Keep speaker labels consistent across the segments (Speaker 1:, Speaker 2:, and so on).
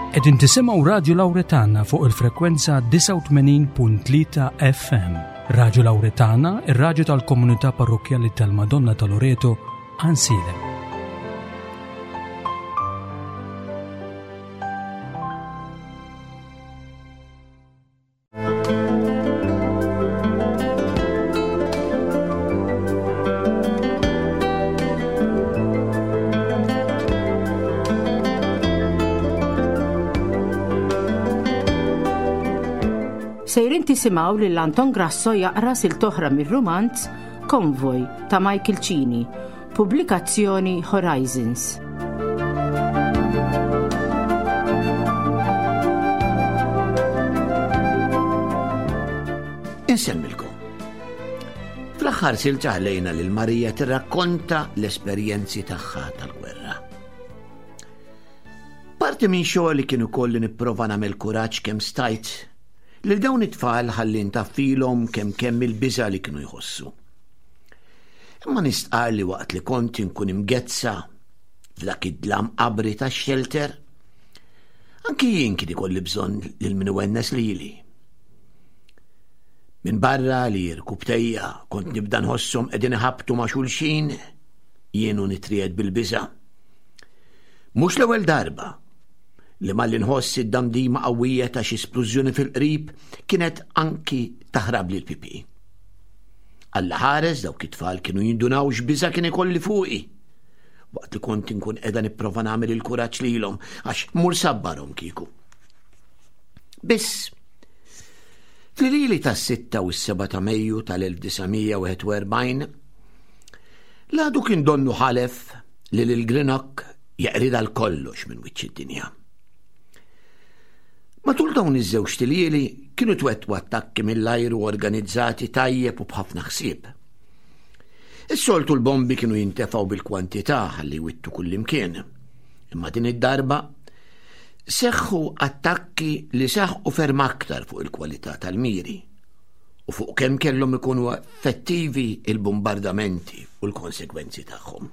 Speaker 1: Qegħdin tisimgħu Radju Lawretana fuq il-frekwenza 89.3 FM. Radju Lawretana, ir-radju tal-komunità parrokkjali tal-Madonna ta' Loreto, Ansilem.
Speaker 2: Sejrin tisimgħu lil Anton Grasso jaqra siltoħra mir-rumanz Konvoj ta' Michael Cini, pubblikazzjoni Horizons.
Speaker 3: Insemmilkom. Fl-aħħar silta ħlejna lil Marija tirrakkonta l-esperjenzi tagħha tal-gwerra. Parti minn xogħol li kien ukoll li nipprova nagħmel kuraġġ kemm stajt lil dawn it-tfal ħalli ntaffilhom kemm kemm il-biża' li kienu jħossu. Imma nistqar li waqt li kont inkun imgezza f'dak id-dlam qabri tax-xelter, anki jien kien ikolli bżonn lil min iwennes lili. Minn barra li rkubtejja kont nibda nħosshom qegħdin iħabbtu ma' xulxin, jien u nitriegħed bil-biża'. Mhux l-ewwel darba li malli nħoss id-damdima qawwija ta' xi splużjoni fil-qrib kienet anki taħrabli l-pipi. Alla ħares dawk it-tfal kienu jindunaw x'biża' kien ikolli fuqi. Waqt li kont inkun qiegħda nipprova nagħmel il-kuraġġ lilhom għax mur sabbarhom kieku. Biss, fl-lili tas-6 u s-7 ta' Mejju tal-1941, l-għadu kien donnu ħalef li lil Greenock jeqrida l-kollox minn wiċċ id-dinja. Matul dawn iż-żewġt iljieli kienu twettqu attakki mill-ajru organizzati tajjeb u b'ħafna ħsieb. Is-soltu l-bombi kienu jintefgħu bil-kwantità ħalli jwittu kullimkien. Imma din id-darba seħħu attakki li saħqu ferm aktar fuq il-kwalità tal-miri u fuq kemm kellhom ikunu effettivi il-bombardamenti u l-konsegwenzi tagħhom.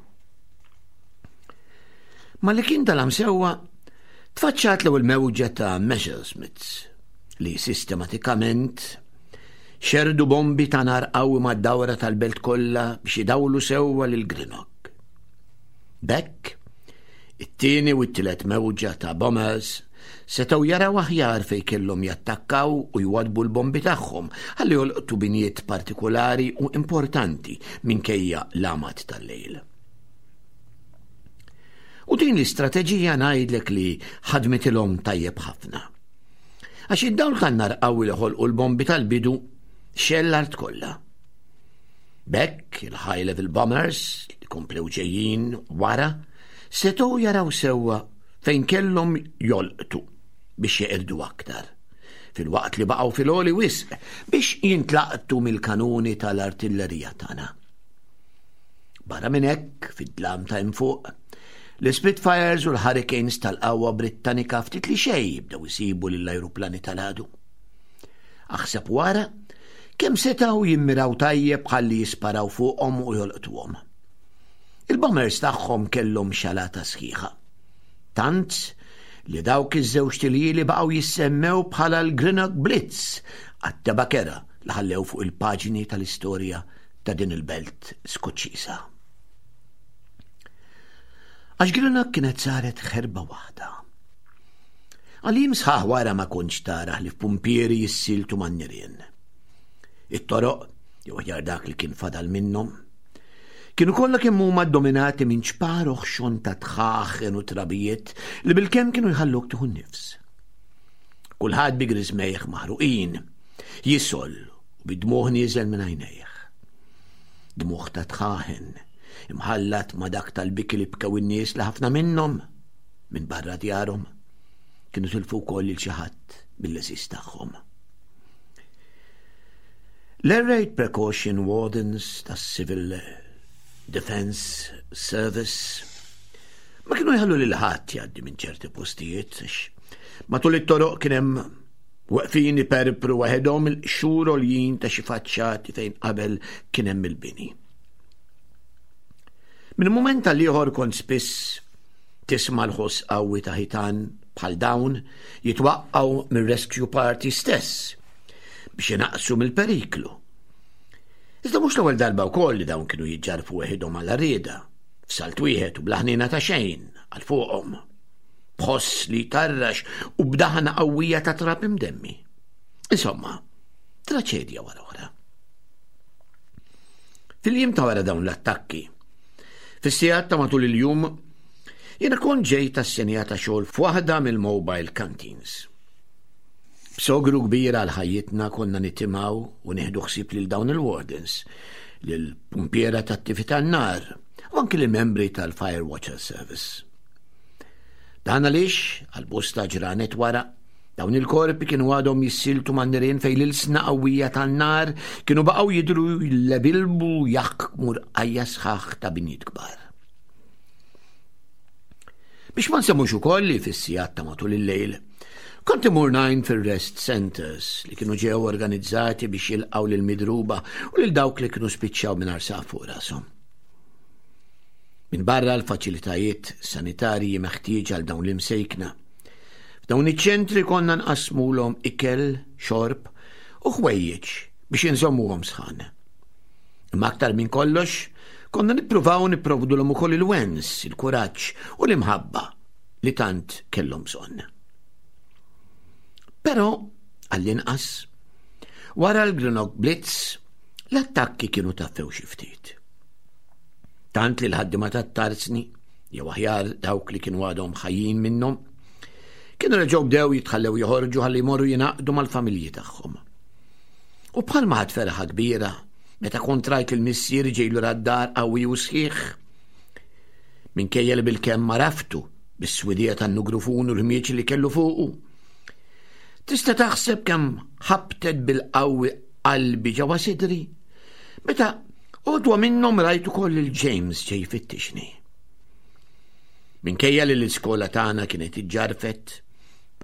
Speaker 3: Malli kien dalam sewwa, Tfaċċat l-ewwel mewġa ta' Messerschmitts li sistematikament xerdu bombi ta' nar qawwi mad-dawra tal-belt kollha biex idawlu sewwa lil Greenock. B'hekk, it-tieni u t-tielet mewġa ta' bombers setgħu jaraw aħjar fejn kellhom jattakkaw u jwaddbu l-bombi tagħhom ħalli jolqtu binjiet partikulari u importanti minkejja l-għamad tal-lejl. U din l-istrateġija ngħidlek li ħadmitilhom tajjeb ħafna. Għax id-dawl tan-nar qawwi li ħolqu l-bombi tal-bidu xell l-art kollha. B'hekk il-high level bombers li komplew ġejjin wara setgħu jaraw sewwa fejn kellhom jolqtu biex jeqirdu aktar filwaqt li baqgħu fil-għoli wisq biex jintlaqtu mill-kanuni tal-artillerija tagħna. Barra minn hekk, fid-dlam ta' hemm fuq, l-Spitfires u l-Hurricanes tal-qawwa Brittanika ftit li xejn jibdew isibu lill-ajruplani tal-għadu. Aħseb wara kemm setgħu jimmiraw tajjeb ħalli jisparaw fuqhom u jolqtuhom. Il-bombers tagħhom kellhom xalata sħiħa. Tant li dawk iż-żewġ tiljieli baqgħu jissemmew bħala l-Greenock Blitz għat-tebakera li ħallew fuq il-paġni tal-istorja ta' din il-belt Skoċċiża. Għax Greenock kienet saret ħerba waħda. Għal jiem sħaħ wara ma kontx tara li f'pumpieri jissiltu man-nirien. It-toroq, jew aħjar dak li kien fadal minnhom, kienu kollha kemm huma ddominati minn ċpar oħxon ta' tħaħen u trabijiet li bilkemm kienu jħalluk tieħu n-nifs. Kulħadd bi griżmejh maħruqin, jisol u bid-dmugħ nieżel minn għajnejh. Dmugħ ta' tħaħen, imħallat ma' dak tal-biki li bkew in-nies li ħafna minnhom minn barra djarhom kienu tilfu wkoll lil xi ħadd mill-għeżież tagħhom. L-Air Raid Precaution Wardens tas-Civil Defence Service ma kienu jħallu lil ħadd jgħaddi minn ċerti postijiet matul it-toroq kien hemm Weqfin iperpru waħedhom il-qxur għoljin ta' xi faċċati fejn qabel kien hemm il-bini. Minn mument għal ieħor kont spiss tisma' l-ħoss qawwi ta' ħitan bħal dawn jitwaqqgħu mir-rescue party stess biex inaqqsu mill-periklu. Iżda mhux l-ewwel darba wkoll li dawn kienu jiġġarfu weħidhom għal rieda, f'salt wieħed u bla ħniena ta' xejn għal fuqhom. B'ħoss li jtarrax u b'daħna qawwija ta' trab imdemmi. Insomma, traċedja wara oħra. Fil-jiem ta' wara dawn l-attakki, fis-sigħat ta' matul il-jum, jiena kont ġej tas-senja ta' xogħol f'waħda mill-mobile canteens. B'sogru kbir għal ħajjitna konna nitimgħu u nieħdu ħsieb lil dawn il-wardens, lill-pumpiera tat-tifi tan-nar u anki lill-membri tal-Fire Watcher Service. Dan għaliex, għal bosta ġranet wara, dawn il-korpi kienu għadhom jissiltu man-nirien fejn l-ilsna qawwija tan-nar kienu baqgħu jidhru jlebilbu jaħkmu rqajja sħaħ ta' binjiet kbar. Biex ma nsemmux ukoll li fis-sigħat ta' matul il-lejl, kont imur ngħin fir-rest centers li kienu ġew organizzati biex jilqgħu lil midruba u lil dawk li kienu spiċċaw mingħajr saqaf fuq rashom. Minn barra l-faċilitajiet sanitarji meħtieġa għal dawn l-imsejkna. F'dawn iċ-ċentri konna nqassmulhom ikel, xorb u ħwejjeġ biex inżommuhom sħan. Imma aktar minn kollox, konna nippruvaw nipprovdulhom ukoll il-wens, il-kuraġġ u l-imħabba li tant kellhom bżonn. Però, għall-inqas, wara l-Greenock Blitz, l-attakki kienu taffew xi ftit. Tant li l-ħaddiema tat-tarzni, jew aħjar dawk li kienu għadhom ħajjin minnhom, kienu reġgħu bdew jitħallew joħorġu ħalli jmorru jingħaqdu mal-familji tagħhom. U bħalma ħadt ferħa kbira meta kont rajt lil missieri ġej lura d-dar qawwi u sħiħ. Minkejja li bilkemm għaraftu bis-swidija tan-nugrufun u l-ħmieġ li kellu fuqu. Tista' taħseb kemm ħabtet bil-qawwi qalbi ġewwa sidri meta għodwa minnhom rajt ukoll lil James ġej jfittixni. Minkejja li l-iskola tagħna kienet iġġarfet,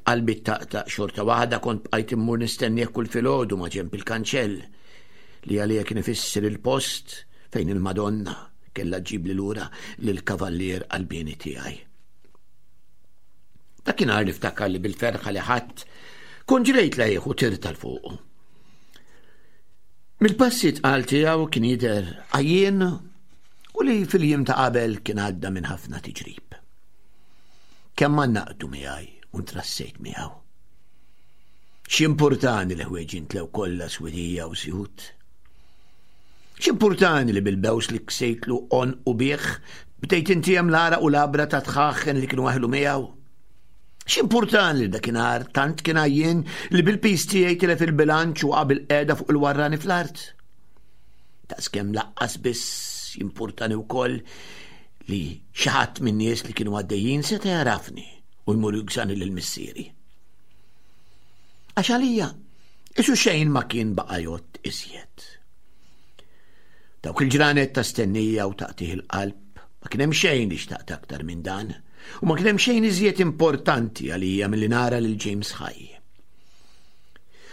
Speaker 3: B'qalbi ttaqtaq xorta waħda kont bqajt immur nistennieh kull filgħodu ma' ġenb il-kanċell li għalija kien ifisser il-post fejn il-Madonna kellha ġġibli lura lill-kavallier qalbieni tiegħi. Dakinhar niftakar li bil-ferħa li ħadt kont ġrejt lejh u tirt għal fuqu. Mill-passi tqal tiegħu kien jidher għajjien u li fil-jiem ta' qabel kien għadda minn ħafna tiġrib. Kemm għannaqtu miegħi u ntrassejt miegħu. X'impurtani li ħwieġi ntlew kollha swidija u sjut. X'impurtani li bil-bews li ksejtlu on u bih bdejt intijem l-għaraq u l-għabra ta' tħaħen li kienu aħlu miegħu. X'impurtani li dakinhar tant kien għajjien li bil-piż tiegħi tilef il-bilanċ u qabel qiegħda fuq il-warrani fl-art. Daqskemm laqqas biss jimpurtani wkoll li xi ħadd min-nies li kienu għaddejjin seta' jarafni u jmur jugżani lil missieri. Għax għalija, isu xejn ma kien baqa' jgħodd iżjed. Dawk il-ġranet ta' stennija u taqtih il-qalb ma kien hemm xejn li xtaqt aktar minn dan u ma kien hemm xejn iżjed importanti għalija milli nara lil James ħaj.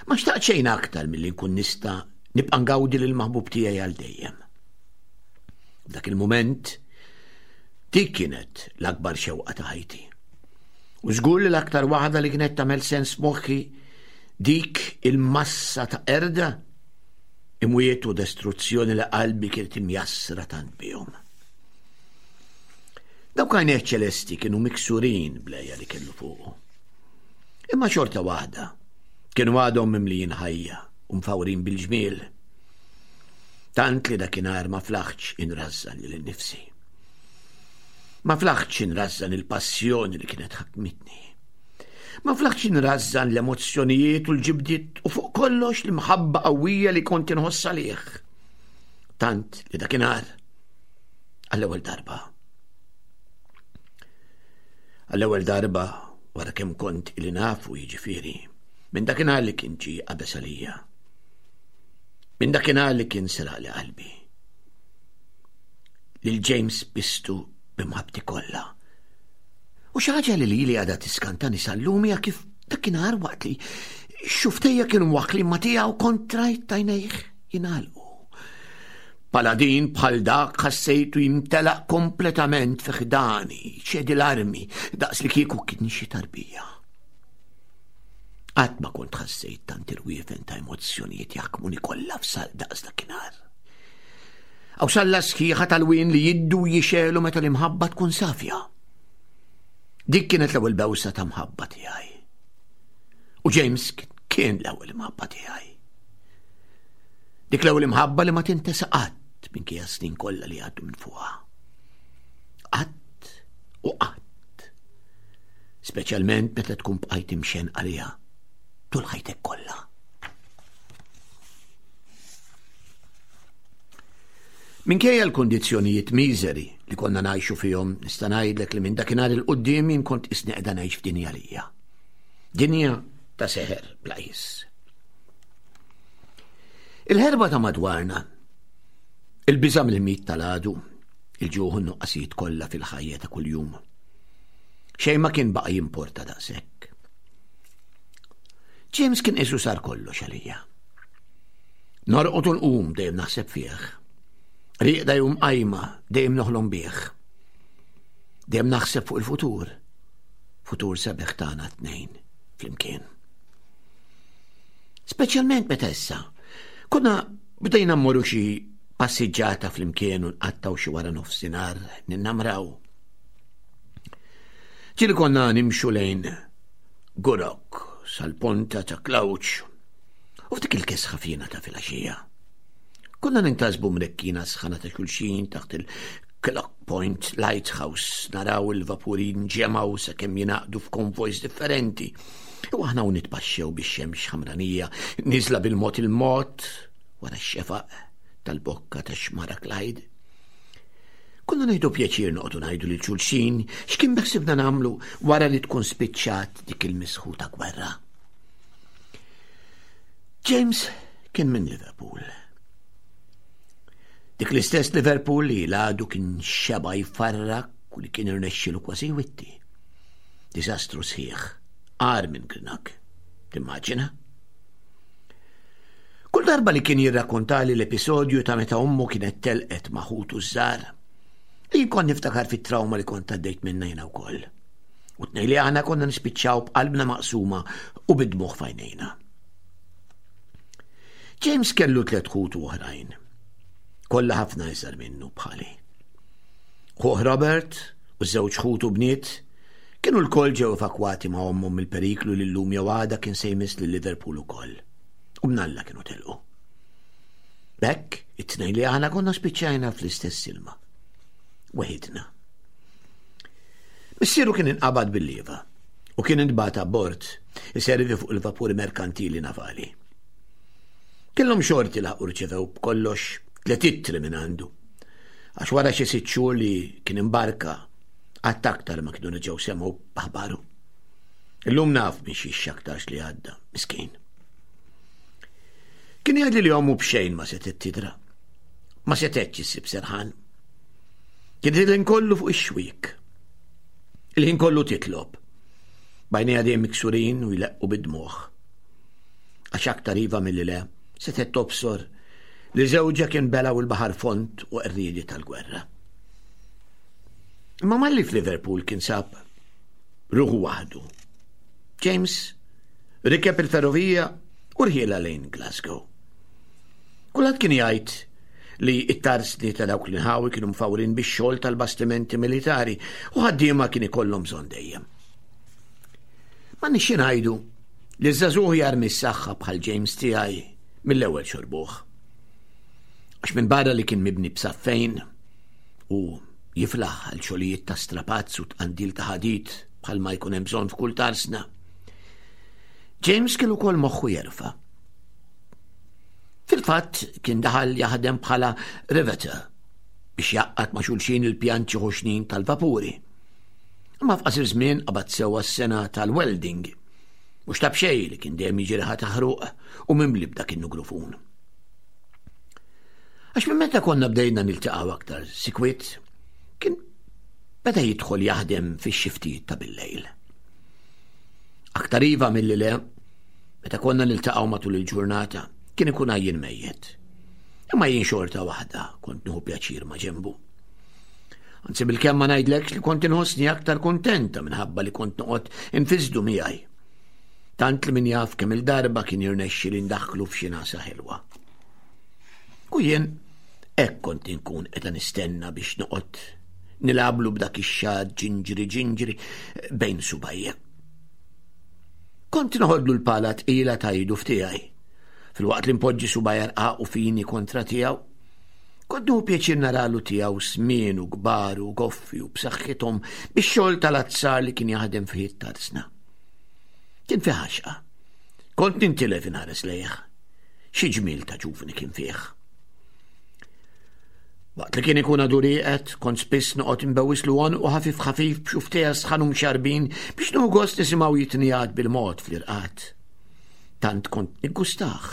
Speaker 3: Ma xtaqt xejn aktar milli nkun nista' nibqa' ngawdi lil maħbub tiegħi għal dejjem. F'dak il-mument, dik kienet l-akbar xewqa ta' ħajti. U żgur li l-aktar waħda li kienet tagħmel sens moħħi dik il-massa ta' erda, imwiet u destruzzjoni li qalbi kienet imjassra tant bihom. Dawk għajnejh ċelesti kienu miksurin bl-għeja li kellu fuqu. Imma xorta waħda, kienu għadhom mimlijin ħajja u mfawrin bil-ġmiel. Tant li dakinhar ma flaħtx inrażżan lili nnifsi. Ma flaħtx inrażżan il-passjoni li kienet ħakmitni. Ma flaħtx inrażżan l-emozzjonijiet u l-ġibdiet u fuq kollox l-imħabba qawwija li kont inħoss għalih. Tant li dakinhar għall-ewwel darba. Għall-ewwel darba wara kemm kont ili nafu jiġifieri minn dakinhar li kien ġie qabeż għalija. Minn dakinhar li kien seraqli qalbi. Lil James bistu b'imħabbti kollha. U xi ħaġa li lili għadha tiskantani sal-lum hija kif dakinhar waqt li xuftejja kienu mwaħħlin ma' tiegħu kont rajt għajnejh jingħalqu. Paladin bħal dak ħassejtu jimtelaq kompletament fi ħdani, ċedi l-armi, daqs li kieku kien xi tarbija. Qatt ma kont ħassejt tant irwiefen ta' emozzjonijiet jaħkmuni kollha f'sal daqs dakinhar. Aw salla sħiħa tal-wien li jiddu jixelu meta l-imħabba tkun safja. Dik kienet l-ewwel bewsa ta' mħabba tiegħi. U James kien l-ewwel imħabba tiegħi. Dik l-ewwel imħabba li ma tintesa qatt minkejja snin kollha li għaddu minn fuqha. Qatt u qatt. Speċjalment meta tkun bqajt imxen għaliha tul ħajtek kollha. Minkejja l-kundizzjonijiet miżeri li konna ngħixu fihom, nista' ngħidlek li minn dakinhar il quddiem jien kont isni qiegħda ngħix f'dinja lija. Dinja ta' seħer bla qis. Il-ħerba ta' madwarna, il-biża' mill-mit tal-għadu, il-ġuħ u n-nuqqasijiet kollha fil-ħajja ta' kuljum. Xejn ma kien baqa' jimporta daqshekk. James kien qisu sar kollox għalija. Norqod u nqum dejjem naħseb fih. Riqda jum qajma dejjem noħlom bih. Dejjem naħseb fuq il-futur. Futur sabiħ tagħna tnejn flimkien. Speċjalment meta issa konna bdejna mmorru xi passiġġata flimkien u nqattaw xi wara nofsinhar ninnamraw. Ġieli konna nimxu lejn Gurok sal-ponta ta' Klawċ U f'dik il-kesħa fina ta' filgħaxija. Konna nintasbu mrekkina sħana ta' xulxin taħt il-Clock Point Lighthouse naraw il-vapuri nġemaw sakemm jingħaqdu f'konvojs differenti. U aħna u nitpaxxew bix-xemx ħamranija niżla bil-mod il-mod wara x-xefaq tal-bokka ta' xmara Clyde. Konna ngħidu pjaċir noqogħdu ngħidu lil xulxin x'kien beħsibna nagħmlu wara li tkun spiċċat dik il-misħuta gwerra. James kien minn Liverpool. Dik l-istess Liverpool li l-għadu kien xeba jfarrak u li kien irnexxilu kważi jwitti. Diżastru sħiħ, għar minn Grinak. Timmaġina? Kull darba li kien jirrakkontali l-episodju ta' meta ommu kienet telqet ma' ħutu żgħar, jien kont niftakar fit-trauma li kont għaddejt minna jiena wkoll. U tnej li aħna konna nispiċċaw b'qalbna maqsuma u bid-dmugħ f'għajnejna. James kellu tlet ħutu oħrajn. Kollha ħafna iżgħar minnu bħali. Ħuh Robert u żewġ ħutu bniet kienu lkoll ġew evakwati ma' ommhom mill-periklu li llum jew għada kien se jmiss lil Liverpool ukoll. U mnalla kienu telqu. B'hekk, it-tnejn li aħna konna spiċċajna fl-istess ilma. Weħidna. Missieru kien inqabad bil-lieva u kien intbagħat abbord iservi fuq il-vapuri merkantili navali. Kellhom xorti laħqu rċevew b'kollox tliet ittri minn għandu. Għax wara xi sitt xhur li kien imbarka qatt aktar ma kienu reġgħu semgħu b'aħbaru. Illum naf minn xi x'aktarx li għadda, miskin. Kien jgħidli li ommu b'xejn ma setgħet tidra. Ma setgħetx issib serħan. Kien il-ħin kollu fuq ix-xwiek. Il-ħin kollu titlob. Bajnejha dejjem miksurin u jleqqu bid-dmugħ. Għax aktar iva milli le, setgħet tobsor li żewġha kien belaw il-baħar fond u qerriedi tal-gwerra. Imma malli f'Liverpool kien sab ruħu waħdu. James rikeb il-ferrovija u rħiela lejn Glasgow. Kulħadd kien jgħid li t-tarsni ta' dawk l-inħawi kienu mfawrin bix-xogħol tal-bastimenti militari u ħaddiema kien ikollhom bżonn dejjem. Ma nixxi ngħidu li żagħżugħ jarmi s-saħħa bħal James tiegħi mill-ewwel xorbuh. Għax minn barra li kien mibni b'saffejn u jiflaħ għal xogħlijiet ta' strapazz u tqandil ta' ħadid bħal ma jkun hemm bżonn f'kull tarsna. James kien ukoll moħħu jerfa'. Fil-fatt kien daħal jaħdem bħala riveter biex jaqqat ma' xulxin il-pjanċi ħoxnin tal-vapuri. Imma f'qasir żmien qabad sewwa s-sena tal-welding. Mhux ta' b'xejn li kien dejjem jiġi riħa taħruq u mimli b'dak in-nugrufun. Għax minn meta konna bdejna niltaqgħu aktar sikwit, kien beda jidħol jaħdem fix-xiftijiet ta' bil-lejl. Aktar iva milli le, Meta konna niltaqgħu matul il-ġurnata, kien ikun għajjien mejjet. Imma jien xorta waħda kont nieħu pjaċir ma' ġenbu. Anzi bil-kemm ma ngħidlekx li kont inħossni aktar kuntenta minħabba li kont noqgħod infisdu miegħi. Tant li min jaf kemm il-darba kien jirnexxi li ndaħħlu f'xi nasa ħelwa. U jien hekk kont inkun qiegħda nistenna biex noqgħod nilablu b'dak ix-xagħar ġinġri ġinġri bejn subajja. Kont noħodlu l-pala tqila ta' idu f'tiegħi, filwaqt li npoġġi subajja rqaq u fini kontra tiegħu. Kont nieħu pjaċir naralu tiegħu smien u kbar u goffi u b'saħħithom bix-xogħol tal-azzar li kien jaħdem fih it-tarzna. Kien fih għaxqa. Kont nintilef inħares lejh. Xi ġmiel ta' ġuvni kien fih. Waqt li kien ikun għadu rieqed, kont spiss noqgħod inbewislu għonqu ħafif ħafif b'xuftejha sħan u mxarbin biex nieħu gost nisimgħu jitnijat bil-mod fl-irqad. Tant kont niggustah.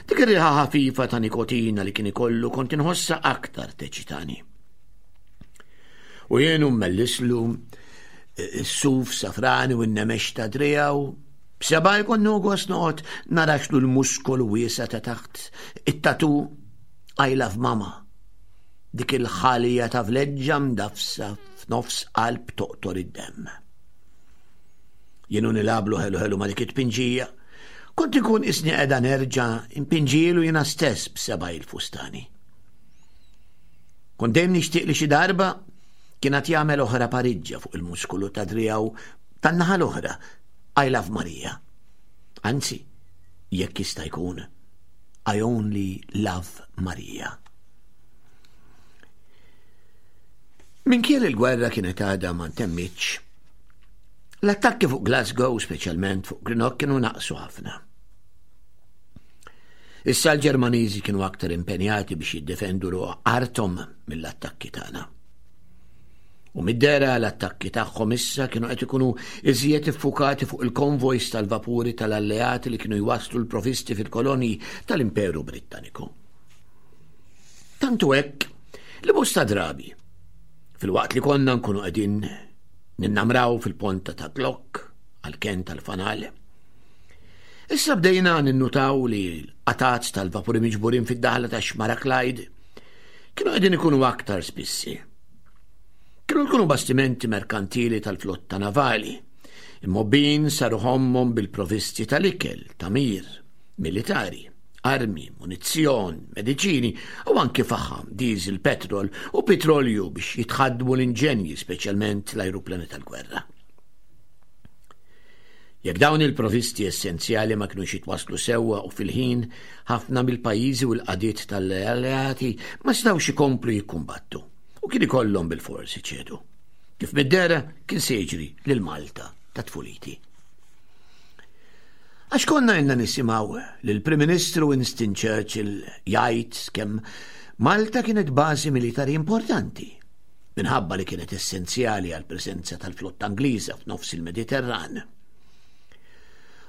Speaker 3: Dik ir-riħa ħafifa ta' nikotina li kien ikollu kont inħossha aktar teċitani. U jien mellislu eh, s-suf safrani u n-nemex ta' driegħu B'seba' jkun gost noqgħod naraxlu l-muskolu wiesa' ta' taħt it-tatu I love mama. Dik il-ħalija ta' vleġġa mdafsa f'nofs qalb toqtor id-demm. Jienu nilablu ħelu ħelu ma' dik it-tpinġija. Kont ikun isni qiegħda nerġa' impinġilu jiena stess b'seba' il-fustani. Kont dejjem nixtieq li xi darba kien għad jagħmel oħra pariġġa fuq il-muskolu ta' driegħu tan-naħa l-oħra I love Maria. Anzi, jekk jista' jkun, I only love Maria. Minkejja li l-gwerra kienet għadha ma ntemmitx, l-attakki fuq Glasgow, speċjalment fuq Greenock, kienu naqsu ħafna. Issa l-Ġermaniżi kienu aktar impenjati biex jiddefendu ruħ arthom mill-attakki tagħna. U mid-dehra l-attakki tagħhom issa kienu qed ikunu iżjed iffukati fuq il-konvojs tal-vapuri tal-alleati li kienu jwasslu l-provisti fil-kolonji tal-Imperu Brittaniku. Tantu hekk li bosta drabi, filwaqt li konna nkunu qegħdin ninnamraw fil-ponta ta' Glock għall-kenn tal-fanal. Issa bdejna ninnutaw li l-qatgħat tal-vapuri miġburin fid-daħla ta' Xmara Clyde kienu qegħdin ikunu aktar spissi. Kienu jkunu bastimenti merkantili tal-flotta navali, immobbin saru ħommhom bil-provisti tal-ikel, tagħmir, militari, armi, munizzjon, mediċini u anki faħam, diesel, petrol u petrolju biex jitħaddmu l-inġenji, speċjalment l-ajruplani tal-gwerra. Jekk dawn il-provisti essenzjali ma kinux jitwasslu sewwa u fil-ħin, ħafna mill-pajjiżi u l-qagħdiet tal-alleati ma setgħux ikomplu jikkumbattu u kien ikollhom bilfors iċedu. Kif mid-dehra kien se jiġri lil Malta ta' tfuliti. Għax konna ilna nisimgħu lill-Prim Ministru Winston Churchill jgħid kemm Malta kienet bażi militari importanti minħabba li kienet essenzjali għall-preżenza tal-flotta Ingliża f'nofs il-Mediterran.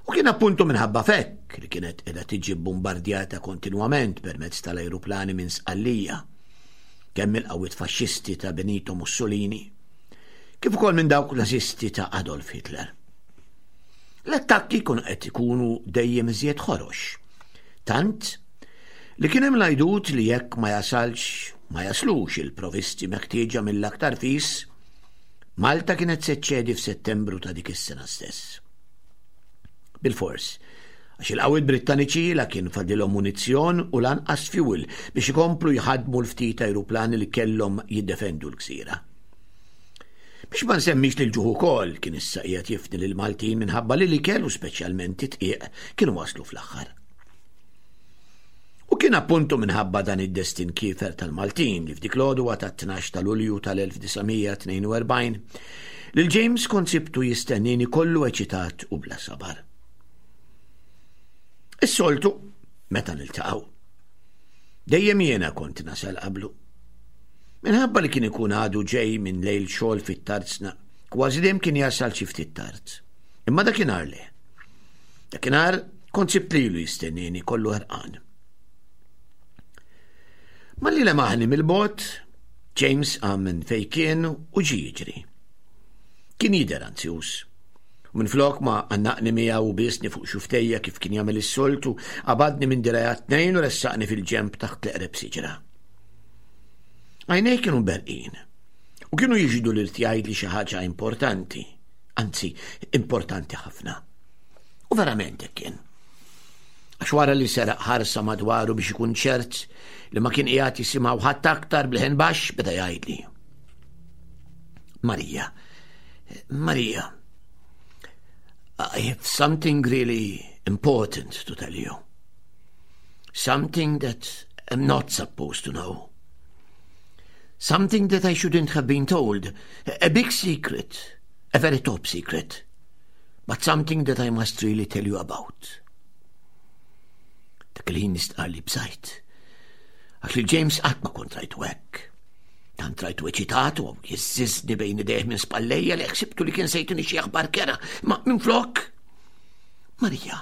Speaker 3: U kien appuntu minħabba fekk li kienet qiegħda tiġi bombardjata kontinwament permezz tal-ajruplani minn Sqallija, kemm mill-qawwiet faxxisti ta' Benito Mussolini, kif ukoll minn dawk nazisti ta' Adolf Hitler. L-attakki kienu qed ikunu dejjem iżjed ħorox. Tant li kien hemm l-għajdut li jekk ma jasalx ma jaslux il-provisti meħtieġa mill-aktar fis, Malta kienet se ċċedi f'Settembru ta' dik is-sena stess. Bilfors, għax il-qawwiet Brittaniċi la kien fadilhom munizzjon u lanqas fuel biex ikomplu jħaddmu l-ftit ajruplani li kellhom jiddefendu l-gżira. Biex ma nsemmix li l-ġuħ ukoll kien issa qiegħed jifni lill-Maltin minħabba li l-ikel u speċjalment it-tqiq kienu waslu fl-aħħar. U kien appuntu minħabba dan id-destin kiefer tal-Maltin li f'dik l-għodwa tat-12 ta' Lulju tal-1942 lil James kont sibtu jistennini kollu eċitat u bla sabar. Is-soltu, meta niltaqgħu. Dejjem jiena kont nasal qablu. Minħabba li kien ikun għadu ġej minn lejl xogħol fit-tarzna, kważi dejjem kien jasal xi ftit tard. Imma dakinhar le. Dakinhar Kont sibt lilu jistennieni kollu ħerqan. Malli lemaħni mill-bogħod, James qam minn fejn kien u ġie jiġri. Kien jidher anzjuż. U minflok ma għannaqni miegħu u biesni fuq xuftejja kif kien jagħmel is-soltu, qabadni minn dirgħajja t-tnejn u ressaqni fil-ġenb taħt l-eqreb siġra. Għajnejh kienu berqin u kienu jixhdu li rrid jgħidli xi ħaġa importanti, anzi importanti ħafna. U verament hekk kien. Għax wara li seraq ħarsa madwaru biex ikun ċert li ma kien qiegħed jisimgħu ħadd aktar bl-ħen baxx beda jgħidli. Marija, Marija, I have something really important to tell you. Something that I'm not supposed to know. Something that I shouldn't have been told. A big secret. A very top secret. But something that I must really tell you about. Dak il-ħin nistqar li bżajt. Għax li James qatt ma kont rajtu hekk. Tant rajtu eċitat u jiżżiżni bejn idejh minn spallejja li ħsibtu li kien se jtini xi aħbar kera, ma minflok. Marija,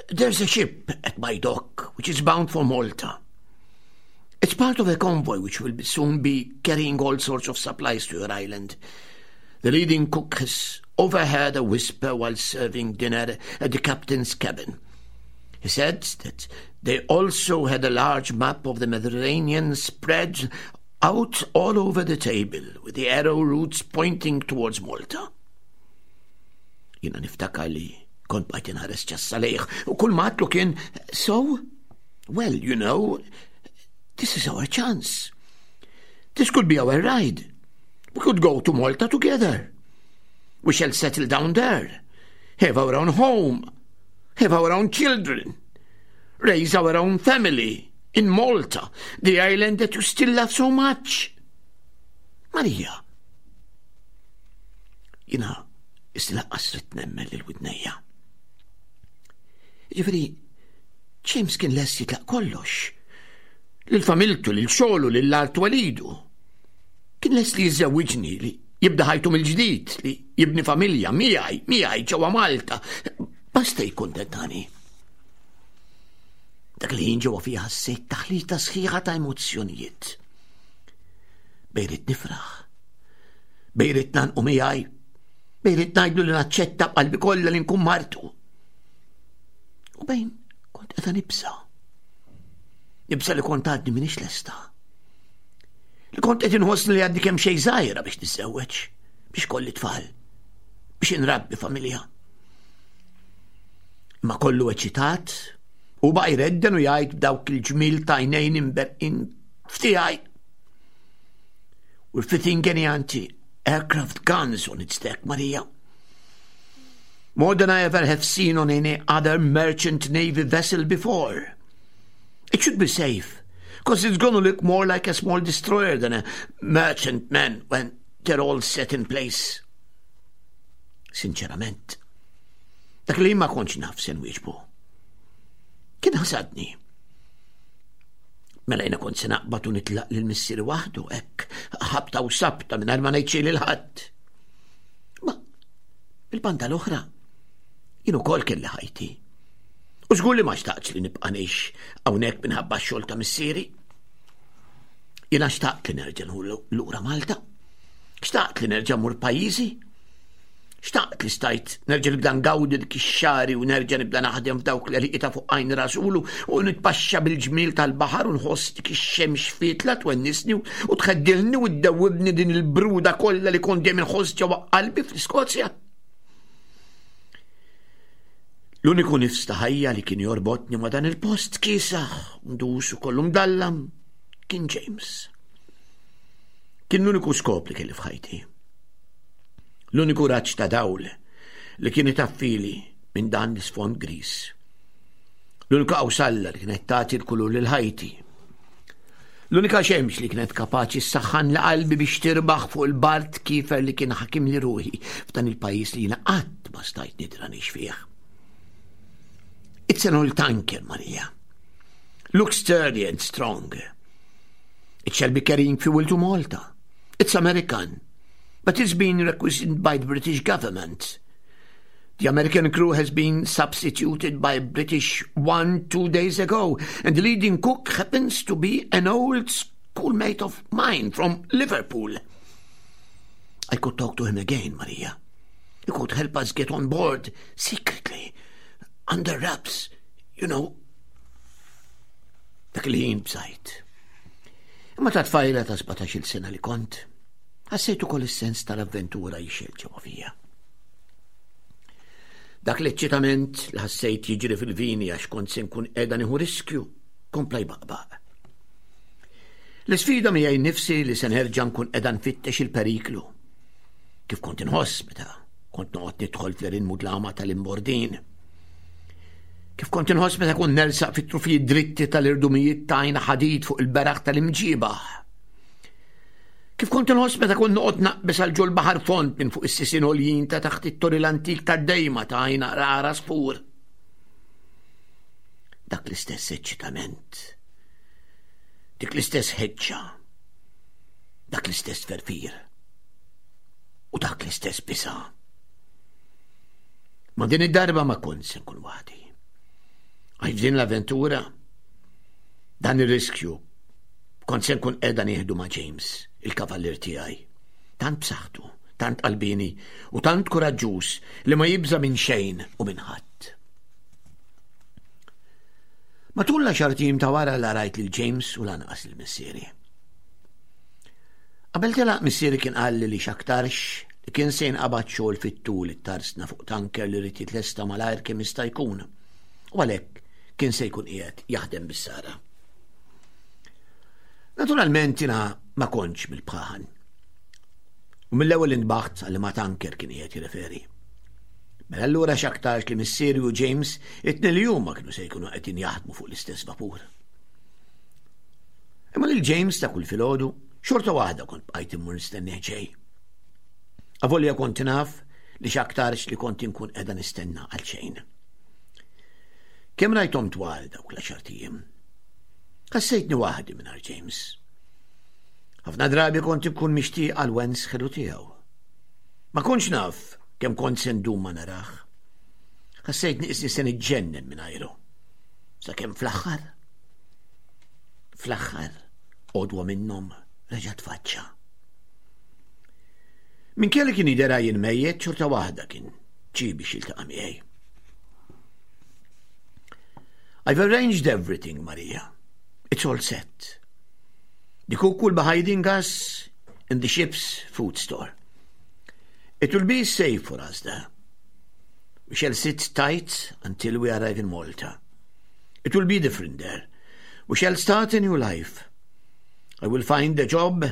Speaker 3: there's a ship at my dock which is bound for Malta. It's part of a convoy which will soon be carrying all sorts of supplies to your island. The leading cook has overheard a whisper while serving dinner at the captain's cabin. He said that they also had a large map of the Mediterranean spread out all over the table, with the arrow routes pointing towards Malta. Jiena niftakar li kont bqajt inħares ċassa lejh u kull ma għedtlu kien so, well, you know, this is our chance. This could be our ride. We could go to Malta together. We shall settle down there, have our own home, have our own children, raise our own family in Malta, the island that you still love so much. Maria. Jiena qisni lanqas ridt nemmen lil widnejja. Ġifieri, James kien lest jitlaq kollox. Lil familtu, lil xogħlu, lil art walidu. Kien lest li jiżżewwiġni, li jibda ħajtu mill-ġdid, li jibni familja miegħi, miegħi ġewwa Malta. Basta jikkuntentani. Dak li ħin ġewwa fija ħassejt taħlita sħiħa ta' emozzjonijiet. Bejn ridt nifraħ, bejn ridt ngħannqu miegħi, bejn ridt ngħidlu li naċċetta b'qalbi kollha li nkun martu. U bejn kont qiegħda nibża'. Nibża' li kont għadni m'iniex lesta. Li kont qed inħossni li għadni kemm xejn żgħira biex niżżewweġ, biex kolli tfal, biex inrabbi familja. Imma kollu eċitat u baqa' jredden u jgħid b'dawk il-ġmiel t'għajnejn imberqin f'tiegħi. We're fitting any anti-aircraft guns on its deck, Maria. More than I ever have seen on any other merchant navy vessel before. It should be safe, because it's gonna look more like a small destroyer than a merchantman when they're all set in place. Sinċerament, dak li ma kontx naf se nwieġbu. Kien ħasadni. Mela jiena kont se naqbad u nitlaq lil missieri waħdu hekk ħabta u sabta mingħajr ma ngħid xejn lil ħadd. Ma il-banda l-oħra jien ukoll kelli ħajti. U żgur li ma xtaqtx li nibqa' ngħix hawnhekk minħabba x-xogħol ta' missieri. Jiena xtaqt li nerġa' lura Malta. Xtaqt li nerġa' mur pajjiżi. Xtaqt li stajt nerġa' nibda ngawdi dik ix-xagħri u nerġa' nibda naħdem f'dawk l-għelieqi ta' fuq għajn rasulu u nitpaxxa bil-ġmiel tal-baħar u nħoss dik ix-xemx fietla twennisni u tħeddilni u ddewwibni din il-bruda kollha li kont dejjem inħoss ġewwa qalbi fl-Iskozja. L-uniku nifs ta' ħajja li kien jorbotni ma' dan il-post kiesaħ, mdus u kollu mdallam kien James. Kien l-uniku skop li kelli f'ħajti. L-uniku raġġ ta' dawl li kien itaffili minn dan l-isfond griż. L-unika qawsalla li kienet tagħti l-kulur lil ħajti. L-unika xemx li kienet kapaċi ssaħħan li qalbi biex tirbaħ fuq il-bard kiefer li kien ħakim li ruħi f'dan il-pajjiż li jiena qatt ma stajt nidra ngħix fih. It's an old tanker, Maria. Looks sturdy and strong. It shall be carrying fuel to Malta. It's American. But it's been requisitioned by the British government. The American crew has been substituted by a British one 2 days ago, and the leading cook happens to be an old schoolmate of mine from Liverpool. I could talk to him again, Maria. You could help us get on board secretly, under wraps, you know. Dak il-ħin bżajt. Imma ta' tfajla ta' 17-il sena li kont, ħassejt ukoll is-sens tal-avventura jixel ġewwa fija. Dak l-eċċitament li ħassejt jiġri fil-vini għax kont se nkun qiegħda nieħu riskju kompla jbaqbaq. L-isfida miegħi nnifsi li se nerġa' nkun qiegħda nfittex il-periklu. Kif kont inħoss meta kont noqgħod nidħol fl-erin mudlama tal-imbordin. Kif kont inħoss meta kont nersaq fit-trufijiet dritti tal-irdumijiet tajna ħadid fuq il-beraħ tal-imġibaħ. Kif kont inħoss meta kont noqgħod naqbeż għal ġol baħar fond minn fuq is-sisien għoljin ta' taħt it-tori l-antik tad-dejma ta' għajna rara sfur. Dak l-istess eċċitament, dik l-istess ħeġġa, dak l-istess ferfir u dak l-istess bisa. Ma din id-darba ma kont se nkun waħdi. Għax din l-avventura, dan ir-riskju, kont se nkun qiegħda nieħdu ma' James, il-kavallier tiegħi. Tant b'saħħtu, tant qalbini u tant kuraġġuż li ma jibża' minn xejn u minn ħadd. Matul l-għaxar tim ta' wara la rajt lil James u lanqas lil missieri. Qabel telaq missieri kien qalli li x'aktarx li kien se jinqabad xogħol fit-tul it-tarsna fuq tanker li rrid jitlesta malajr kemm jista' jkun. U għalhekk kien se jkun qiegħed jaħdem bis-sara. Naturalment jiena ma kontx mill-bħaħan. U mill-ewwel intbaħt għal ma tanker kien qiegħed jirreferi. Mela allura x'aktarx li missieri u James it-tnejn li huma kienu se jkunu qegħdin jaħdmu fuq l-istess vapur. Imma lil James ta' kull filgħodu xorta waħda kont bqajt immur nistennih ġej. Avolja kont naf li x'aktarx li kont inkun qiegħda nistenna għal xejn. Kemm rajthom twal dawk l-għaxar ijiem. Ħassejtni waħdi mingħajr James. Ħafna drabi kont inkun mixtieq għal wens ħelu tiegħu. Ma kontx naf kemm kont se ndum ma narah. Ħassejtni qisni se niġġennen mingħajru. Sakemm fl-aħħar fl-aħħar għodwa minnhom reġa' tfaċċa. Minkejja li kien jidher jien mejjet xorta waħda kien ġie biex jiltaqa' miegħi. I've arranged everything, Maria. It's all set. The cook will be hiding us in the ship's food store. It will be safe for us there. We shall sit tight until we arrive in Malta. It will be different there. We shall start a new life. I will find a job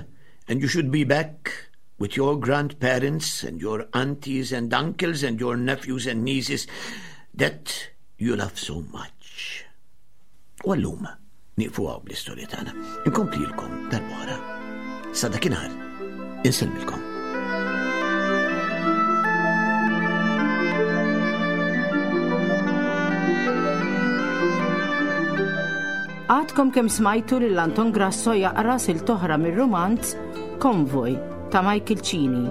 Speaker 3: and you should be back with your grandparents and your aunties and uncles and your nephews and nieces that you love so much. U għallum nieqfu hawn bl-istorja tagħna. Inkomplilkom darb'oħra. Sa dakinhar, insellmilkom.
Speaker 2: Għadkom kemm smajtu lil Anton Grasso jaqra sil toħra mir-rumanz Konvoj ta' Michael Cini,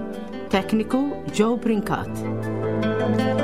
Speaker 2: tekniku Joe Brincat.